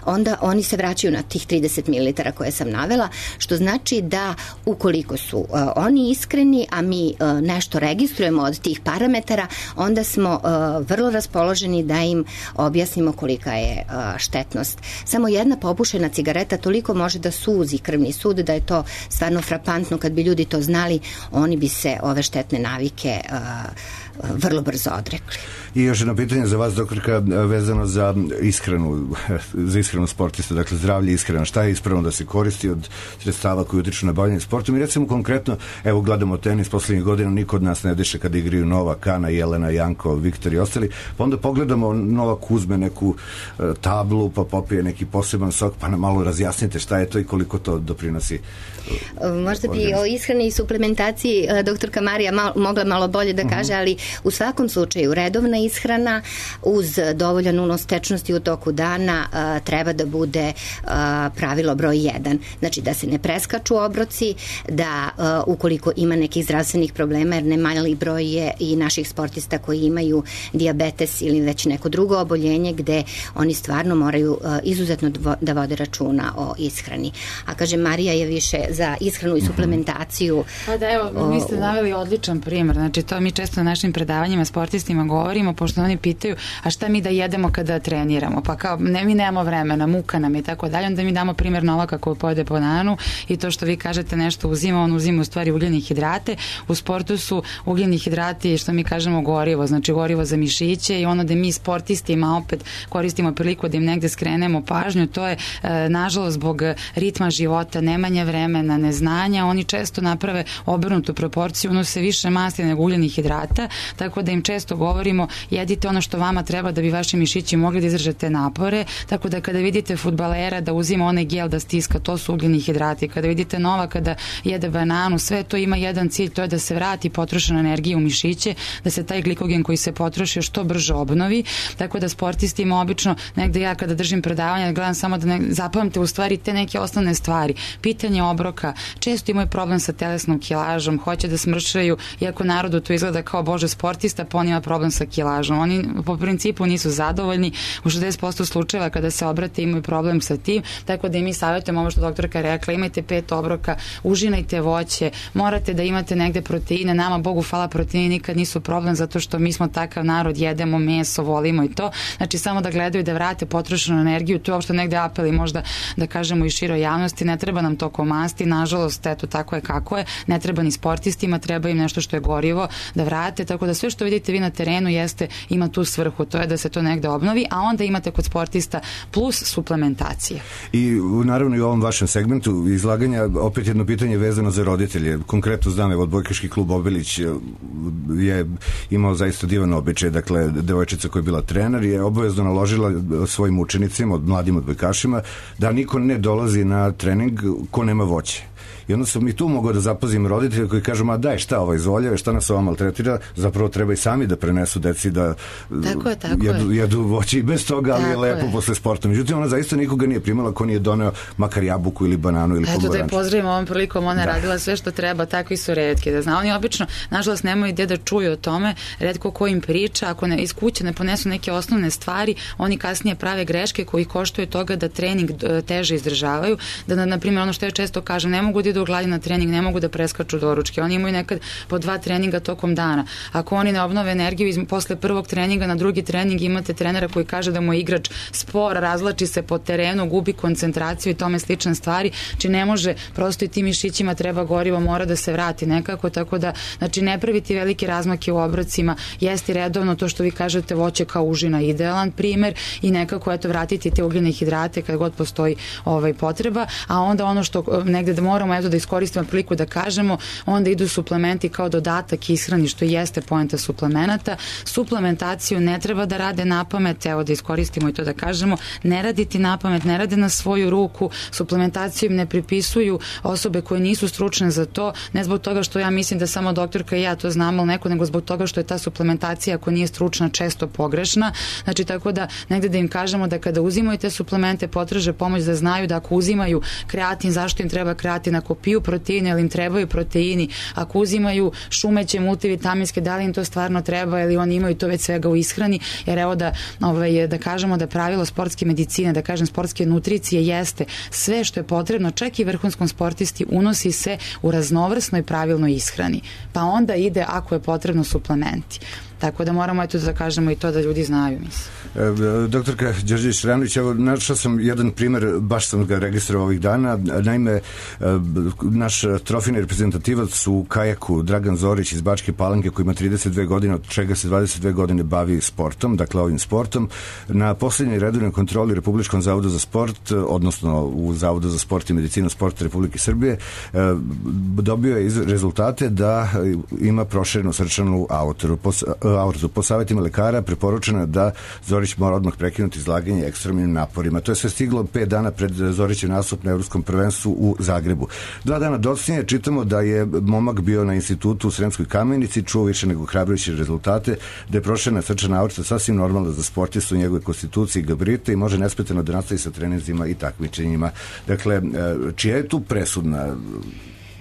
onda oni se vraćaju na tih trideset mililitara koje sam navela, što znači da ukoliko su uh, oni iskreni, a mi uh, nešto registrujemo od tih parametara, onda smo uh, vrlo raspoloženi da im objasnimo kolika je uh, štetnost. Samo jedna popušena cigareta toliko može da suzi krvni sud, da je to stvarno frapantno. Kad bi ljudi to znali, oni bi se ove štetne navike uh, vrlo brzo odrekli. I još jedno pitanje za vas, doktorka, vezano za ishranu, za ishranu sportista, dakle zdravlje i ishrana. Šta je ispravno da se koristi od sredstava koji utiču na bavljanje sportom? I recimo konkretno, evo gledamo tenis poslednjih godina, niko od nas ne diše kada igraju Novak, Ana, Jelena, Janko, Viktor i ostali, pa onda pogledamo, Novak uzme neku uh, tablu, pa popije neki poseban sok, pa nam malo razjasnite šta je to i koliko to doprinosi. Uh, Možda bi o ishrani i suplementaciji uh, doktorka Marija mal, mogla malo bolje da kaže, uh-huh. ali u svakom slučaju redovna ishrana uz dovoljan unos tečnosti u toku dana a, treba da bude a, pravilo broj jedan. Znači da se ne preskaču obroci, da a, ukoliko ima nekih zdravstvenih problema, jer ne mali broj je i naših sportista koji imaju dijabetes ili već neko drugo oboljenje gde oni stvarno moraju a, izuzetno da vode računa o ishrani. A kaže, Marija je više za ishranu i suplementaciju. Pa da, evo, vi ste naveli odličan primer. Znači to mi često na našim predavanjima sportistima govorimo, pošto oni pitaju, a šta mi da jedemo kada treniramo? Pa kao, ne, mi nemamo vremena, muka nam i tako dalje, onda mi damo primjer Novaka koji pojede bananu i to što vi kažete nešto uzima, on uzima u stvari ugljene hidrate. U sportu su ugljeni hidrati, što mi kažemo, gorivo, znači gorivo za mišiće, i ono da mi sportistima opet koristimo priliku da im negde skrenemo pažnju, to je e, nažalost zbog ritma života, nemanja vremena, neznanja, oni često naprave obrnutu proporciju, unose više masti nego ugljenih hidrata, tako da im često govorimo jedite ono što vama treba da bi vaši mišići mogli da izdržate napore, tako da kada vidite fudbalera da uzima onaj gel da stiska, to su ugljeni hidrati. Kada vidite Novaka da jede bananu, sve to ima jedan cilj, to je da se vrati potrošena energija u mišiće, da se taj glikogen koji se potrošio što brže obnovi, tako da sportistima obično negde ja kada držim predavanja gledam samo da ne, zapamte u stvari te neke osnovne stvari. Pitanje obroka, često imaju problem sa telesnom kilažom, hoće da smršaju, iako narodu to izgleda kao bože sportista, pa on ima problem sa kilažom. Oni po principu nisu zadovoljni, u šezdeset posto slučajeva kada se obrate imaju problem sa tim, tako da i mi savjetujemo ovo što doktorka rekla, imajte pet obroka, užinajte voće, morate da imate negde proteine, nama Bogu hvala proteini nikad nisu problem zato što mi smo takav narod, jedemo meso, volimo i to, znači samo da gledaju da vrate potrošenu energiju, tu je uopšte negde apel i možda da kažemo i široj javnosti, ne treba nam to komasti, nažalost, eto tako je kako je, ne treba ni sportistima, treba im nešto što je gorivo da vrate, tako da sve što vidite vi na terenu jeste, ima tu svrhu, to je da se to negde obnovi, a onda imate kod sportista plus suplementacija. I naravno i u ovom vašem segmentu izlaganja opet jedno pitanje vezano za roditelje. Konkretno znam, evo, odbojkaški klub Obilić je imao zaista divan običaj, dakle, devojčica koja je bila trener je obavezno naložila svojim učenicima, od mladim odbojkašima, da niko ne dolazi na trening ko nema voće. I onda sam i tu mogao da zapazim roditelja koji kažu, ma daj šta ovaj zoljeve, šta nas ova maltretira, zapravo treba i sami da prenesu deci da tako je, tako jedu, je. jedu voće i bez toga, ali tako je lepo je. posle sporta. Međutim, ona zaista nikoga nije primala ko nije doneo makar jabuku ili bananu ili pomoranč. Eto da je pozdravimo ovom prilikom, ona da. radila sve što treba, takvi su retki. Da zna, oni obično, nažalost, nemaju gde da čuju o tome, retko ko im priča, ako ne, iz kuće ne ponesu neke osnovne stvari, oni kasnije prave greške koji koštuje toga da trening teže izdržavaju, da, na, na primjer, ono što ja često kažem, ne mogu da idu u gladi na trening, ne mogu da preskaču doručke. Oni imaju nekad po dva treninga tokom dana. Ako oni ne obnove energiju iz, posle prvog treninga na drugi trening, imate trenera koji kaže da mu je igrač spor, razlači se po terenu, gubi koncentraciju i tome slične stvari. Znači ne može, prosto i tim mišićima treba gorivo, mora da se vrati nekako, tako da, znači ne praviti velike razmake u obrocima, jesti redovno to što vi kažete, voće kao užina, idealan primer, i nekako eto vratiti te ugljene hidrate kad god postoji ovaj potreba, a onda ono što negde da moramo eto da iskoristimo priliku da kažemo, onda idu suplementi kao dodatak ishrani, što jeste poenta suplemenata. Suplementaciju ne treba da rade napamet, evo da iskoristimo i to da kažemo, ne raditi napamet, ne rade na svoju ruku, suplementaciju im ne pripisuju osobe koje nisu stručne za to, ne zbog toga što ja mislim da samo doktorka i ja to znamo, ali neko, nego zbog toga što je ta suplementacija, ako nije stručna, često pogrešna. Znači, tako da negde da im kažemo da kada uzimaju te suplemente, potraže pomoć, da znaju da ako uzimaju kreatin, zašto im treba kreatin, ako piju proteine, ili im trebaju proteini, ako uzimaju šumeće, multivitaminske, da li im to stvarno treba ili oni imaju to već svega u ishrani, jer evo da, ovaj, da kažemo da pravilo sportske medicine, da kažem sportske nutricije jeste sve što je potrebno, čak i vrhunskom sportisti, unosi se u raznovrsnoj pravilnoj ishrani, pa onda ide ako je potrebno suplementi. Tako da moramo eto da kažemo i to da ljudi znaju, mislim. E, doktorka Đorđević-Ranović, evo, našao sam jedan primer, baš sam ga registrovao ovih dana. Naime, e, naš trofejni reprezentativac u kajaku Dragan Zorić iz Bačke Palanke, koji ima trideset dve godine, od čega se dvadeset dve godine bavi sportom, dakle ovim sportom, na poslednjoj redovnoj kontroli Republičkom zavodu za sport, odnosno u Zavodu za sport i medicinu sporta Republike Srbije, e, dobio je iz rezultate da ima proširenu srčanu aortu. Po, aortu. Po savjetima lekara preporučeno je da Zorić mora odmah prekinuti izlaganje ekstremnim naporima. To je sve stiglo pet dana pred Zorićev nastup na Evropskom prvenstvu u Zagrebu. Dva dana docinije čitamo da je momak bio na institutu u Sremskoj Kamenici, čuo više nego hrabrujuće rezultate, da je proširena srčana aorta sasvim normalna za sportistu u njegove konstituciji i gabarite i može nesmetano da nastavi sa treninzima i takmičenjima. Dakle, čija je tu presudna?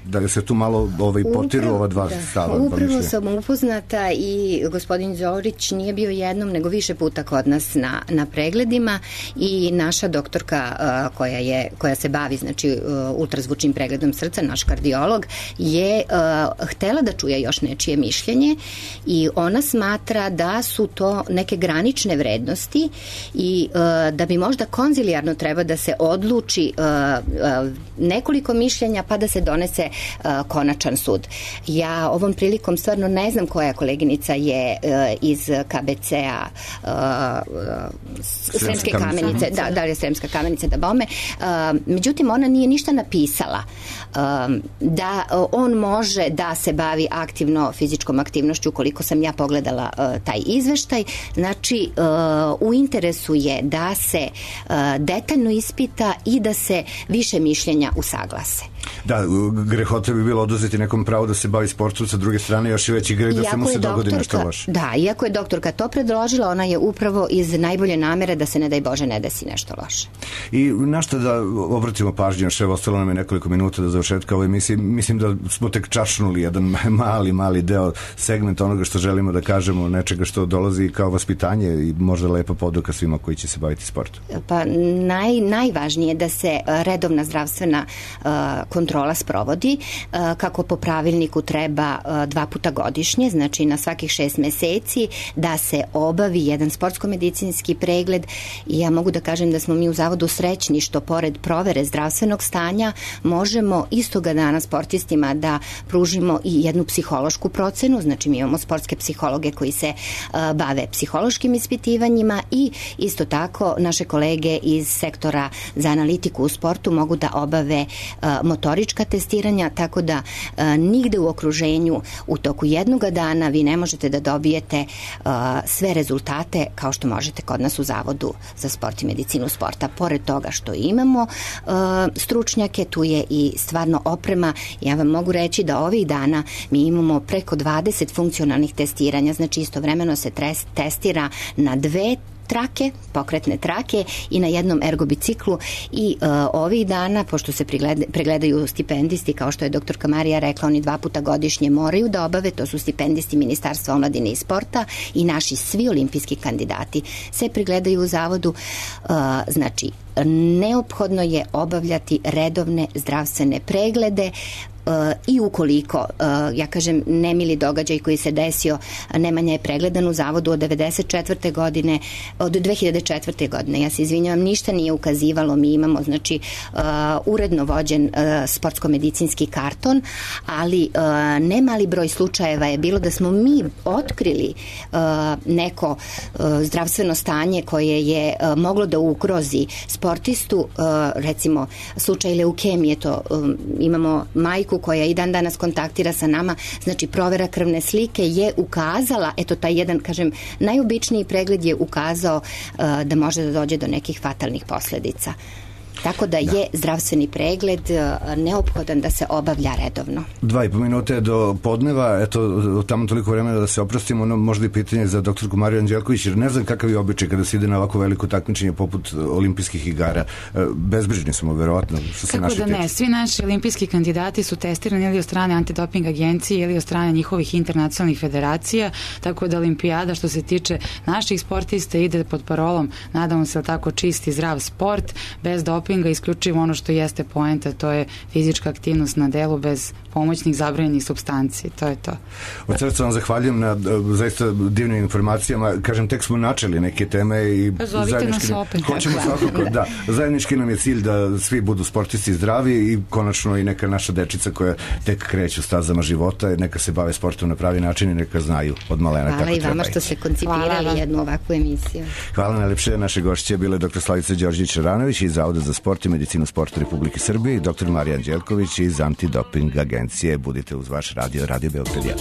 Da se tu malo ovaj, potiru ova dva da, stava. Upravo sam upoznata i gospodin Zorić nije bio jednom, nego više puta kod nas na, na pregledima i naša doktorka uh, koja, je, koja se bavi znači, uh, ultrazvučnim pregledom srca, naš kardiolog, je uh, htela da čuje još nečije mišljenje i ona smatra da su to neke granične vrednosti i uh, da bi možda konzilijarno treba da se odluči uh, uh, nekoliko mišljenja pa da se donese uh, konačan sud. Ja ovom prilikom stvarno ne znam koja koleginica je uh, iz K B C-a uh, Sremske Kamenice, da, da li je Sremska Kamenica da bome. Uh, međutim, ona nije ništa napisala uh, da uh, on može da se bavi aktivno fizičkom aktivnošću, koliko sam ja pogledala uh, taj izveštaj. Znači, uh, u interesu je da se uh, detaljno ispita i da se više mišljenja usaglase. Da, grehota bi bilo oduzeti nekom pravo da se bavi sportom, sa druge strane još i veći greh da iako se mu se dogodi nešto loše. Da, iako je doktorka to predložila, ona je upravo iz najbolje namere da se, ne daj Bože, ne desi nešto loše. I na što da obratimo pažnju, še ostalo nam je nekoliko minuta do završetka ove emisije. Mislim da smo tek čašnuli jedan mali, mali deo segmenta onoga što želimo da kažemo, nečega što dolazi kao vaspitanje i možda lepa poduka svima koji će se baviti sportom. Pa naj, najvažnije je da se redovna zdravstvena uh, kontrola sprovodi, uh, kako po pravilniku treba uh, dva puta godišnje, znači na svakih šest meseci da se obavi jedan sportsko-medicinski pregled i ja mogu da kažem da smo mi u Zavodu srećni što pored provere zdravstvenog stanja možemo istoga dana sportistima da pružimo i jednu psihološku procenu, znači mi imamo sportske psihologe koji se uh, bave psihološkim ispitivanjima i isto tako naše kolege iz sektora za analitiku u sportu mogu da obave uh, motorička testiranja, tako da uh, nigde u okruženju u toku jednog dana vi ne možete da dobijete uh, sve rezultate kao što možete kod nas u Zavodu za sport i medicinu sporta. Pored toga što imamo uh, stručnjake, tu je i stvarno oprema. Ja vam mogu reći da ovih dana mi imamo preko dvadeset funkcionalnih testiranja, znači istovremeno se tres, testira na dve trake, pokretne trake i na jednom ergobiciklu i uh, ovih dana, pošto se pregleda, pregledaju stipendisti, kao što je doktorka Marija rekla, oni dva puta godišnje moraju da obave, to su stipendisti Ministarstva omladine i sporta i naši svi olimpijski kandidati se pregledaju u Zavodu, uh, znači neophodno je obavljati redovne zdravstvene preglede Uh, i ukoliko, uh, ja kažem, nemili događaj koji se desio, Nemanja je pregledan u Zavodu od devedeset četvrte godine, od dve hiljade četvrte godine, ja se izvinjavam, ništa nije ukazivalo, mi imamo, znači, uh, uredno vođen uh, sportsko-medicinski karton, ali uh, nemali broj slučajeva je bilo da smo mi otkrili uh, neko uh, zdravstveno stanje koje je uh, moglo da ugrozi sportistu, uh, recimo slučaj leukemije, to um, imamo majku koja i dan danas kontaktira sa nama, znači provera krvne slike je ukazala, eto taj jedan, kažem, najobičniji pregled je ukazao uh, da može da dođe do nekih fatalnih posledica. Tako da, da je zdravstveni pregled neophodan da se obavlja redovno. Dva i po minute do podneva, eto, tamo toliko vremena da se oprostimo, ono možda i pitanje za doktorku Mariju Anđelković, jer ne znam kakav je običaj kada se ide na ovako veliko takmičenje poput olimpijskih igara. Bezbrižni smo, verovatno, što se naši tiče. Kako da ne, svi naši olimpijski kandidati su testirani ili od strane antidoping agencije ili od strane njihovih internacionalnih federacija, tako da olimpijada što se tiče naših sportista ide pod parolom, nadamo se tako, čisti, zdrav sport, bez dopinga, isključivo ono što jeste poenta, to je fizička aktivnost na delu bez pomoćnih zabranjenih supstanci, to je to. Od srca vam zahvaljujem na zaista divnim informacijama, kažem, tek smo načeli neke teme i zajednički nas opet. Hoćemo svakako, da, zajednički nam je cilj da svi budu sportisti zdravi i konačno i neka naša dečica koja tek kreću stazama života, neka se bave sportom na pravi način i neka znaju od malena kako treba. Hvala i vama što ste koncipirali jednu ovakvu emisiju. Hvala najlepše, naše gošće bile doktor Slavica Đorđević-Ranović iz Zavoda za sport i medicinu sporta Republike Srbije i doktor Marija Anđelković iz Antidoping agencije. Budite uz vaš radio, Radio Beograd.